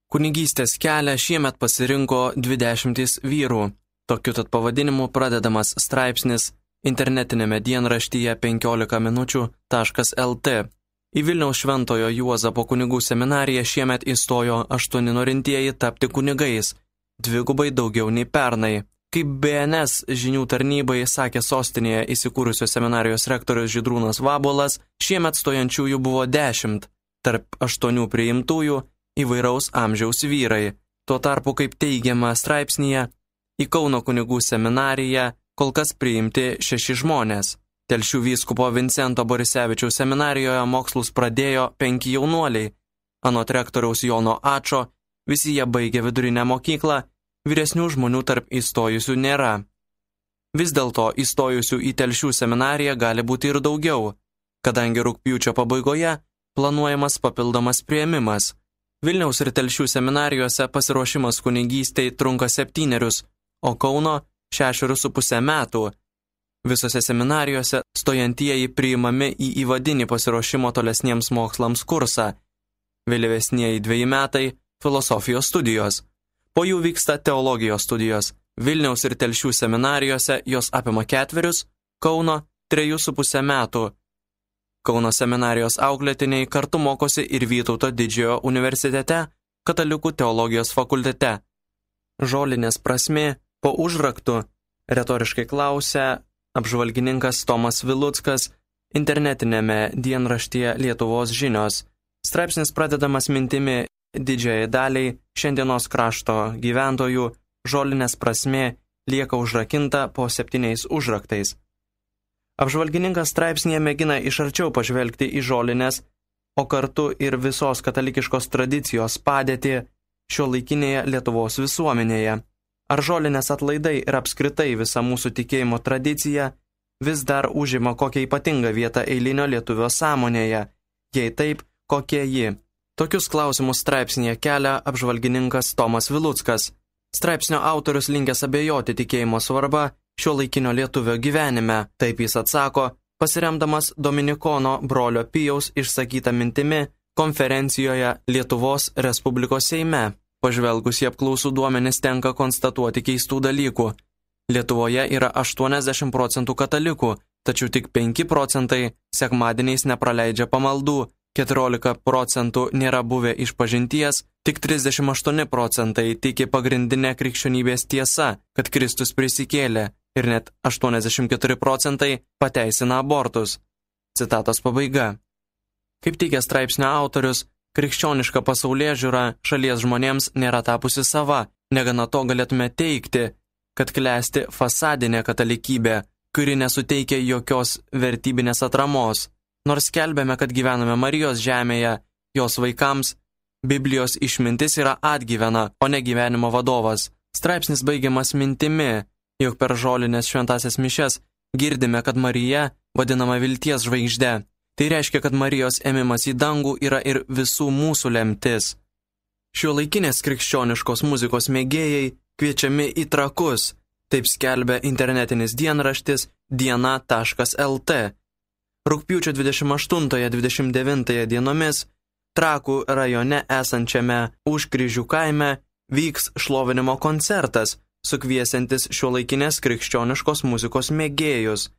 Kunigystės kelią šiemet pasirinko 20 vyrų. Tokiu tad pavadinimu pradedamas straipsnis internetinėme dienraštyje 15minučių.lt. Į Vilniaus Šventojo Juozapo kunigų seminariją šiemet įstojo 8 norintieji tapti kunigais, dvigubai daugiau nei pernai. Kaip BNS žinių tarnybai sakė sostinėje įsikūrusios seminarijos rektorius Žydrūnas Vabuolas, šiemet stojančiųjų buvo 10, tarp 8 priimtųjų įvairaus amžiaus vyrai. Tuo tarpu, kaip teigiama straipsnyje, į Kauno kunigų seminariją kol kas priimti 6 žmonės. Telšių vyskupo Vincento Borisevičiaus seminarijoje mokslus pradėjo 5 jaunuoliai. Anot rektoriaus Jono Ačo, visi jie baigė vidurinę mokyklą, vyresnių žmonių tarp įstojusių nėra. Vis dėlto įstojusių į Telšių seminariją gali būti ir daugiau, kadangi rugpjūčio pabaigoje planuojamas papildomas priėmimas. Vilniaus ir Telšių seminarijose pasiruošimas kunigystei trunka 7, o Kauno 6,5 metų. Visose seminarijose stojantieji priimami į įvadinį pasiruošimo tolesniems mokslams kursą. Vėlyvesnieji 2 metai – filosofijos studijos. Po jų vyksta teologijos studijos. Vilniaus ir Telšių seminarijose jos apima 4, Kauno 3,5 metų. Kauno seminarijos auklėtiniai kartu mokosi ir Vytauto Didžiojo universitete, Katalikų teologijos fakultete. Žolinės prasmė po užraktu, retoriškai klausia apžvalgininkas Tomas Viluckas internetinėme dienraštyje Lietuvos žinios. Straipsnis pradedamas mintimi didžiajai daliai šiandienos krašto gyventojų žolinės prasmė lieka užrakinta po 7 užraktais. Apžvalgininkas straipsnėje mėgina iš arčiau pažvelgti į žolinės, o kartu ir visos katalikiškos tradicijos padėtį šiuolaikinėje Lietuvos visuomenėje. Ar žolinės atlaidai ir apskritai visa mūsų tikėjimo tradicija vis dar užima kokią ypatingą vietą eilinio lietuvio sąmonėje, jei taip, kokie ji? Tokius klausimus straipsnėje kelia apžvalgininkas Tomas Viluckas. Straipsnio autorius linkęs abejoti tikėjimo svarba šiuolaikinio lietuvio gyvenime. Taip jis atsako, pasiremdamas Dominikono brolio Pijaus išsakytą mintimi konferencijoje Lietuvos Respublikos Seime. Pažvelgus į apklausų duomenis tenka konstatuoti keistų dalykų. Lietuvoje yra 80% katalikų, tačiau tik 5% sekmadieniais nepraleidžia pamaldų, 14% nėra buvę išpažinties, tik 38% tiki pagrindinę krikščionybės tiesa, kad Kristus prisikėlė, ir net 84% pateisina abortus. Citatos pabaiga. Kaip teigia straipsnio autorius, krikščioniška pasaulėžiūra šalies žmonėms nėra tapusi sava, negana to galėtume teigti, kad klesti fasadinė katalikybė, kuri nesuteikia jokios vertybinės atramos. Nors skelbėme, kad gyvename Marijos žemėje, jos vaikams, Biblijos išmintis yra atgyvena, o ne gyvenimo vadovas. Straipsnis baigiamas mintimi, jog per žolinės šventasias mišias girdime, kad Marija vadinama vilties žvaigžde. Tai reiškia, kad Marijos ėmimas į dangų yra ir visų mūsų lemtis. Šiuolaikinės krikščioniškos muzikos mėgėjai kviečiami į Trakus, taip skelbia internetinis dienraštis diena.lt. Rugpjūčio 28-29 dienomis Trakų rajone esančiame Užkryžių kaime vyks šlovinimo koncertas, sukviesiantis šiuolaikinės krikščioniškos muzikos mėgėjus.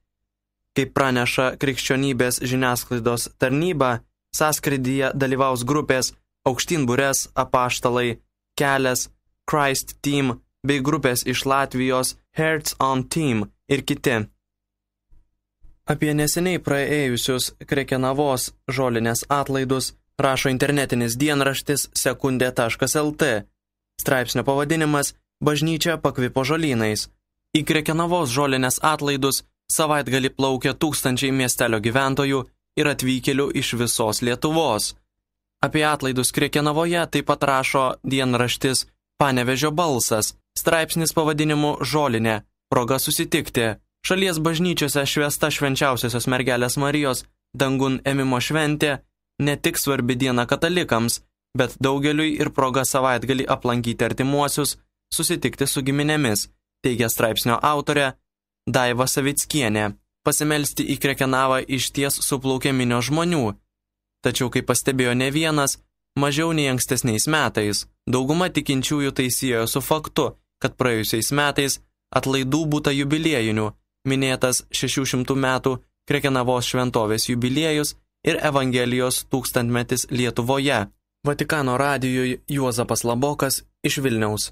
Kaip praneša krikščionybės žiniasklaidos tarnyba, sąskrydyje dalyvaus grupės Aukštynburės apaštalai, Kelias, Christ Team bei grupės iš Latvijos Hearts on Team ir kiti. Apie neseniai praėjusius Krekenavos žolinės atlaidus rašo internetinis dienraštis sekundė.lt. Straipsnio pavadinimas Bažnyčia pakvipo žolynais. Į Krekenavos žolinės atlaidus savaitgalį plaukia tūkstančiai miestelio gyventojų ir atvykėlių iš visos Lietuvos. Apie atlaidus Krekenavoje taip pat rašo dienraštis Panevėžio balsas. Straipsnis pavadinimu Žolinė. Proga susitikti. Šalies bažnyčiose švęsta švenčiausiosios mergelės Marijos dangun ėmimo šventė ne tik svarbi diena katalikams, bet daugeliui ir proga savaitgalį aplankyti artimuosius, susitikti su giminėmis, teigia straipsnio autorė Daiva Savickienė. Pasimelsti į Krekenavą išties suplaukė minios žmonių. Tačiau, kaip pastebėjo ne vienas, mažiau nei ankstesniais metais. Dauguma tikinčiųjų tai siejo su faktu, kad praėjusiais metais atlaidų būta jubiliejinių, minėtas 600 metų Krekenavos šventovės jubiliejus ir Evangelijos 1000-metis Lietuvoje. Vatikano radijui Juozapas Labokas iš Vilniaus.